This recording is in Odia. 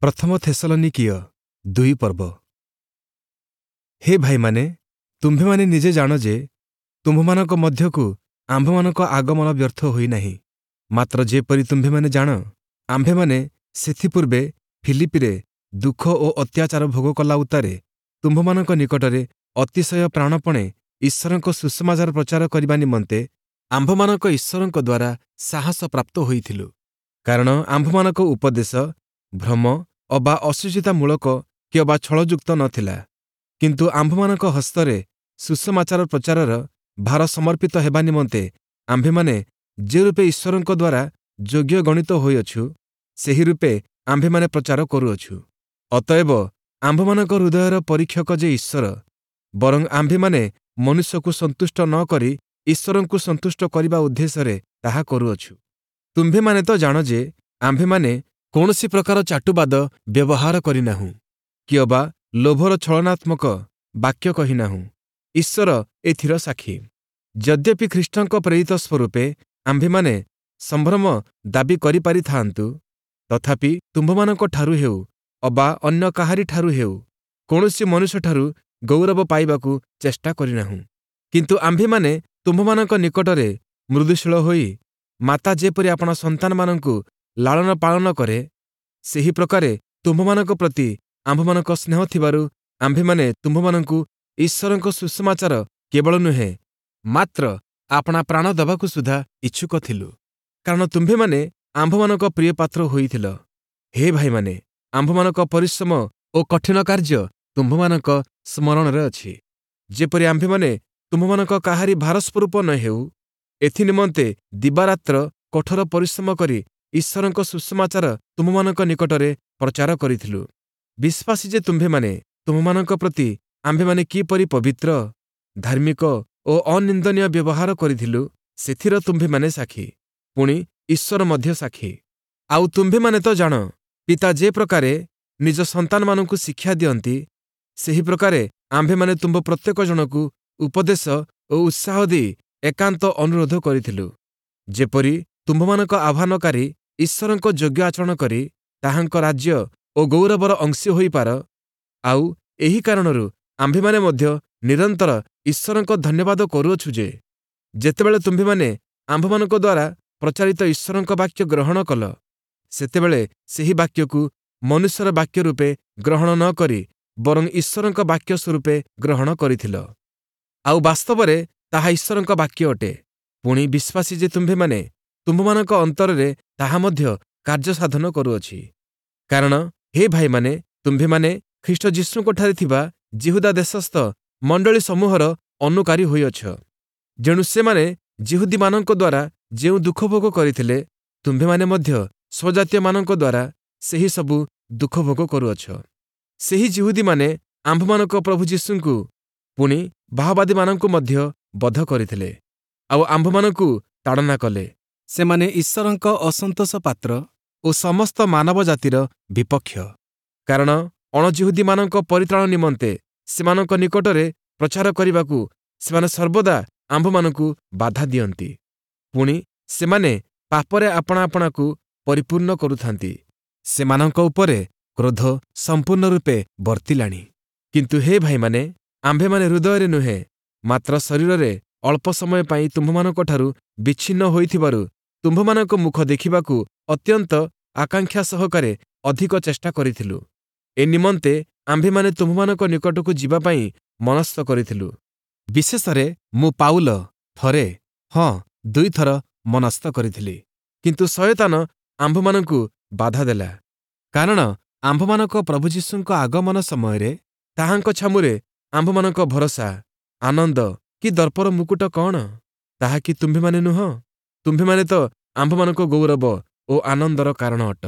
ପ୍ରଥମ ଥେସଲନୀକୀୟ 2 ପର୍ବ। ହେ ଭାଇମାନେ, ତୁମ୍ଭେମାନେ ନିଜେ ଜାଣ ଯେ ତୁମ୍ଭମାନଙ୍କ ମଧ୍ୟକୁ ଆମ୍ଭମାନଙ୍କ ଆଗମନ ବ୍ୟର୍ଥ ହୋଇନାହିଁ। ମାତ୍ର ଯେପରି ତୁମ୍ଭେମାନେ ଜାଣ, ଆମ୍ଭେମାନେ ସେଥିପୂର୍ବେ ଫିଲିପିରେ ଦୁଃଖ ଓ ଅତ୍ୟାଚାର ଭୋଗ କଲା ଉତ୍ତାରେ ତୁମ୍ଭମାନଙ୍କ ନିକଟରେ ଅତିଶୟ ପ୍ରାଣପଣେ ଈଶ୍ୱରଙ୍କ ସୁସମାଚାର ପ୍ରଚାର କରିବା ନିମନ୍ତେ ଆମ୍ଭମାନଙ୍କ ଈଶ୍ୱରଙ୍କ ଦ୍ୱାରା ସାହସ ପ୍ରାପ୍ତ ହୋଇଥିଲୁ। କାରଣ ଆମ୍ଭମାନଙ୍କ ଉପଦେଶ ଭ୍ରମ ଅବା ଅଶୁଚିତାମୂଳକ କିଅବା ଛଳଯୁକ୍ତ ନ ଥିଲା, କିନ୍ତୁ ଆମ୍ଭମାନଙ୍କ ହସ୍ତରେ ସୁସମାଚାର ପ୍ରଚାରର ଭାର ସମର୍ପିତ ହେବା ନିମନ୍ତେ ଆମ୍ଭେମାନେ ଯେରୂପେ ଈଶ୍ୱରଙ୍କ ଦ୍ୱାରା ଯୋଗ୍ୟ ଗଣିତ ହୋଇଅଛୁ, ସେହି ରୂପେ ଆମ୍ଭେମାନେ ପ୍ରଚାର କରୁଅଛୁ। ଅତଏବ ଆମ୍ଭମାନଙ୍କ ହୃଦୟର ପରୀକ୍ଷକ ଯେ ଈଶ୍ୱର, ବରଂ ଆମ୍ଭେମାନେ ମନୁଷ୍ୟକୁ ସନ୍ତୁଷ୍ଟ ନ କରି ଈଶ୍ୱରଙ୍କୁ ସନ୍ତୁଷ୍ଟ କରିବା ଉଦ୍ଦେଶ୍ୟରେ ତାହା କରୁଅଛୁ। ତୁମ୍ଭେମାନେ ତ ଜାଣ ଯେ ଆମ୍ଭେମାନେ କୌଣସି ପ୍ରକାର ଚାଟୁବାଦ ବ୍ୟବହାର କରିନାହୁଁ, କିଅବା ଲୋଭର ଛଳନାତ୍ମକ ବାକ୍ୟ କହିନାହୁଁ। ଈଶ୍ୱର ଏଥିର ସାକ୍ଷୀ। ଯଦ୍ୟପି ଖ୍ରୀଷ୍ଟଙ୍କ ପ୍ରେରିତ ସ୍ୱରୂପେ ଆମ୍ଭେମାନେ ସମ୍ଭ୍ରମ ଦାବି କରିପାରିଥାଆନ୍ତୁ, ତଥାପି ତୁମ୍ଭମାନଙ୍କଠାରୁ ହେଉ ଅବା ଅନ୍ୟ କାହାରିଠାରୁ ହେଉ, କୌଣସି ମନୁଷ୍ୟଠାରୁ ଗୌରବ ପାଇବାକୁ ଚେଷ୍ଟା କରିନାହୁଁ। କିନ୍ତୁ ଆମ୍ଭେମାନେ ତୁମ୍ଭମାନଙ୍କ ନିକଟରେ ମୃଦୁଶୀଳ ହୋଇ ମାତା ଯେପରି ଆପଣା ସନ୍ତାନମାନଙ୍କୁ ଲାଳନ ପାଳନ କରେ, ସେହି ପ୍ରକାରେ ତୁମ୍ଭମାନଙ୍କ ପ୍ରତି ଆମ୍ଭମାନଙ୍କ ସ୍ନେହ ଥିବାରୁ ଆମ୍ଭେମାନେ ତୁମ୍ଭମାନଙ୍କୁ ଈଶ୍ୱରଙ୍କ ସୁସମାଚାର କେବଳ ନୁହେଁ, ମାତ୍ର ଆପଣା ପ୍ରାଣ ଦେବାକୁ ସୁଦ୍ଧା ଇଚ୍ଛୁକ ଥିଲୁ। କାରଣ ତୁମ୍ଭେମାନେ ଆମ୍ଭମାନଙ୍କ ପ୍ରିୟପାତ୍ର ହୋଇଥିଲ। ହେ ଭାଇମାନେ, ଆମ୍ଭମାନଙ୍କ ପରିଶ୍ରମ ଓ କଠିନ କାର୍ଯ୍ୟ ତୁମ୍ଭମାନଙ୍କ ସ୍ମରଣରେ ଅଛି। ଯେପରି ଆମ୍ଭେମାନେ ତୁମ୍ଭମାନଙ୍କ କାହାରି ଭାରସ୍ୱରୂପ ନ ହେଉ, ଏଥିନିମନ୍ତେ ଦିବାରାତ୍ର କଠୋର ପରିଶ୍ରମ କରି ଈଶ୍ୱରଙ୍କ ସୁସମାଚାର ତୁମ୍ଭମାନଙ୍କ ନିକଟରେ ପ୍ରଚାର କରିଥିଲୁ। ବିଶ୍ୱାସୀ ଯେ ତୁମ୍ଭେମାନେ, ତୁମ୍ଭମାନଙ୍କ ପ୍ରତି ଆମ୍ଭେମାନେ କିପରି ପବିତ୍ର, ଧାର୍ମିକ ଓ ଅନିନ୍ଦନୀୟ ବ୍ୟବହାର କରିଥିଲୁ, ସେଥିର ତୁମ୍ଭେମାନେ ସାକ୍ଷୀ, ପୁଣି ଈଶ୍ୱର ମଧ୍ୟ ସାକ୍ଷୀ। ଆଉ ତୁମ୍ଭେମାନେ ତ ଜାଣ, ପିତା ଯେ ପ୍ରକାରେ ନିଜ ସନ୍ତାନମାନଙ୍କୁ ଶିକ୍ଷା ଦିଅନ୍ତି, ସେହି ପ୍ରକାରେ ଆମ୍ଭେମାନେ ତୁମ୍ଭ ପ୍ରତ୍ୟେକ ଜଣକୁ ଉପଦେଶ ଓ ଉତ୍ସାହ ଦେଇ ଏକାନ୍ତ ଅନୁରୋଧ କରିଥିଲୁ, ଯେପରି ତୁମ୍ଭମାନଙ୍କ ଆହ୍ୱାନକାରୀ ଈଶ୍ୱରଙ୍କ ଯୋଗ୍ୟ ଆଚରଣ କରି ତାହାଙ୍କ ରାଜ୍ୟ ଓ ଗୌରବର ଅଂଶୀ ହୋଇପାର। ଆଉ ଏହି କାରଣରୁ ଆମ୍ଭେମାନେ ମଧ୍ୟ ନିରନ୍ତର ଈଶ୍ୱରଙ୍କ ଧନ୍ୟବାଦ କରୁଅଛୁ ଯେ, ଯେତେବେଳେ ତୁମ୍ଭେମାନେ ଆମ୍ଭମାନଙ୍କ ଦ୍ୱାରା ପ୍ରଚାରିତ ଈଶ୍ୱରଙ୍କ ବାକ୍ୟ ଗ୍ରହଣ କଲ, ସେତେବେଳେ ସେହି ବାକ୍ୟକୁ ମନୁଷ୍ୟର ବାକ୍ୟ ରୂପେ ଗ୍ରହଣ ନ କରି ବରଂ ଈଶ୍ୱରଙ୍କ ବାକ୍ୟ ସ୍ୱରୂପେ ଗ୍ରହଣ କରିଥିଲ। ଆଉ ବାସ୍ତବରେ ତାହା ଈଶ୍ୱରଙ୍କ ବାକ୍ୟ ଅଟେ। ପୁଣି ବିଶ୍ୱାସୀ ଯେ ତୁମ୍ଭେମାନେ, ତୁମ୍ଭମାନଙ୍କ ଅନ୍ତରରେ ତାହା ମଧ୍ୟ କାର୍ଯ୍ୟ ସାଧନ କରୁଅଛି। କାରଣ ହେ ଭାଇମାନେ, ତୁମ୍ଭେମାନେ ଖ୍ରୀଷ୍ଟ ଯୀଶୁଙ୍କଠାରେ ଥିବା ଯିହୁଦା ଦେଶସ୍ଥ ମଣ୍ଡଳୀ ସମୂହର ଅନୁକାରୀ ହୋଇଅଛ। ଯେଣୁ ସେମାନେ ଯିହୁଦୀମାନଙ୍କ ଦ୍ୱାରା ଯେଉଁ ଦୁଃଖ ଭୋଗ କରିଥିଲେ, ତୁମ୍ଭେମାନେ ମଧ୍ୟ ସ୍ୱଜାତୀୟମାନଙ୍କ ଦ୍ୱାରା ସେହି ସବୁ ଦୁଃଖ ଭୋଗ କରୁଅଛ। ସେହି ଯିହୁଦୀମାନେ ଆମ୍ଭମାନଙ୍କ ପ୍ରଭୁ ଯୀଶୁଙ୍କୁ ପୁଣି ଭାଓବାଦୀମାନଙ୍କୁ ମଧ୍ୟ ବଧ କରିଥିଲେ, ଆଉ ଆମ୍ଭମାନଙ୍କୁ ତାଡ଼ନା କଲେ। ସେମାନେ ଈଶ୍ୱରଙ୍କ ଅସନ୍ତୋଷ ପାତ୍ର ଓ ସମସ୍ତ ମାନବ ଜାତିର ବିପକ୍ଷ। କାରଣ ଅଣଯିହୁଦୀମାନଙ୍କ ପରିତ୍ରାଣ ନିମନ୍ତେ ସେମାନଙ୍କ ନିକଟରେ ପ୍ରଚାର କରିବାକୁ ସେମାନେ ସର୍ବଦା ଆମ୍ଭମାନଙ୍କୁ ବାଧା ଦିଅନ୍ତି। ପୁଣି ସେମାନେ ପାପରେ ଆପଣା ଆପଣାକୁ ପରିପୂର୍ଣ୍ଣ କରୁଥାନ୍ତି। ସେମାନଙ୍କ ଉପରେ କ୍ରୋଧ ସମ୍ପୂର୍ଣ୍ଣ ରୂପେ ବର୍ତ୍ତିଲାଣି। କିନ୍ତୁ ହେ ଭାଇମାନେ, ଆମ୍ଭେମାନେ ହୃଦୟରେ ନୁହେଁ, ମାତ୍ର ଶରୀରରେ ଅଳ୍ପ ସମୟ ପାଇଁ ତୁମ୍ଭମାନଙ୍କଠାରୁ ବିଚ୍ଛିନ୍ନ ହୋଇଥିବାରୁ ତୁମ୍ଭମାନଙ୍କ ମୁଖ ଦେଖିବାକୁ ଅତ୍ୟନ୍ତ ଆକାଂକ୍ଷା ସହକାରେ ଅଧିକ ଚେଷ୍ଟା କରିଥିଲୁ। ଏ ନିମନ୍ତେ ଆମ୍ଭେମାନେ ତୁମ୍ଭମାନଙ୍କ ନିକଟକୁ ଯିବା ପାଇଁ ମନସ୍ଥ କରିଥିଲୁ। ବିଶେଷରେ ମୁଁ ପାଉଲ ଥରେ, ହଁ ଦୁଇଥର ମନସ୍ଥ କରିଥିଲି, କିନ୍ତୁ ଶୟତାନ ଆମ୍ଭମାନଙ୍କୁ ବାଧା ଦେଲା। କାରଣ ଆମ୍ଭମାନଙ୍କ ପ୍ରଭୁ ଯୀଶୁଙ୍କ ଆଗମନ ସମୟରେ ତାହାଙ୍କ ଛାମୁରେ ଆମ୍ଭମାନଙ୍କ ଭରସା, ଆନନ୍ଦ କି ଦର୍ପର ମୁକୁଟ କଣ? ତାହା କି ତୁମ୍ଭେମାନେ ନୁହଁ? ତୁମ୍ଭେମାନେ ତ ଆମ୍ଭମାନଙ୍କ ଗୌରବ ଓ ଆନନ୍ଦର କାରଣ ଅଟ।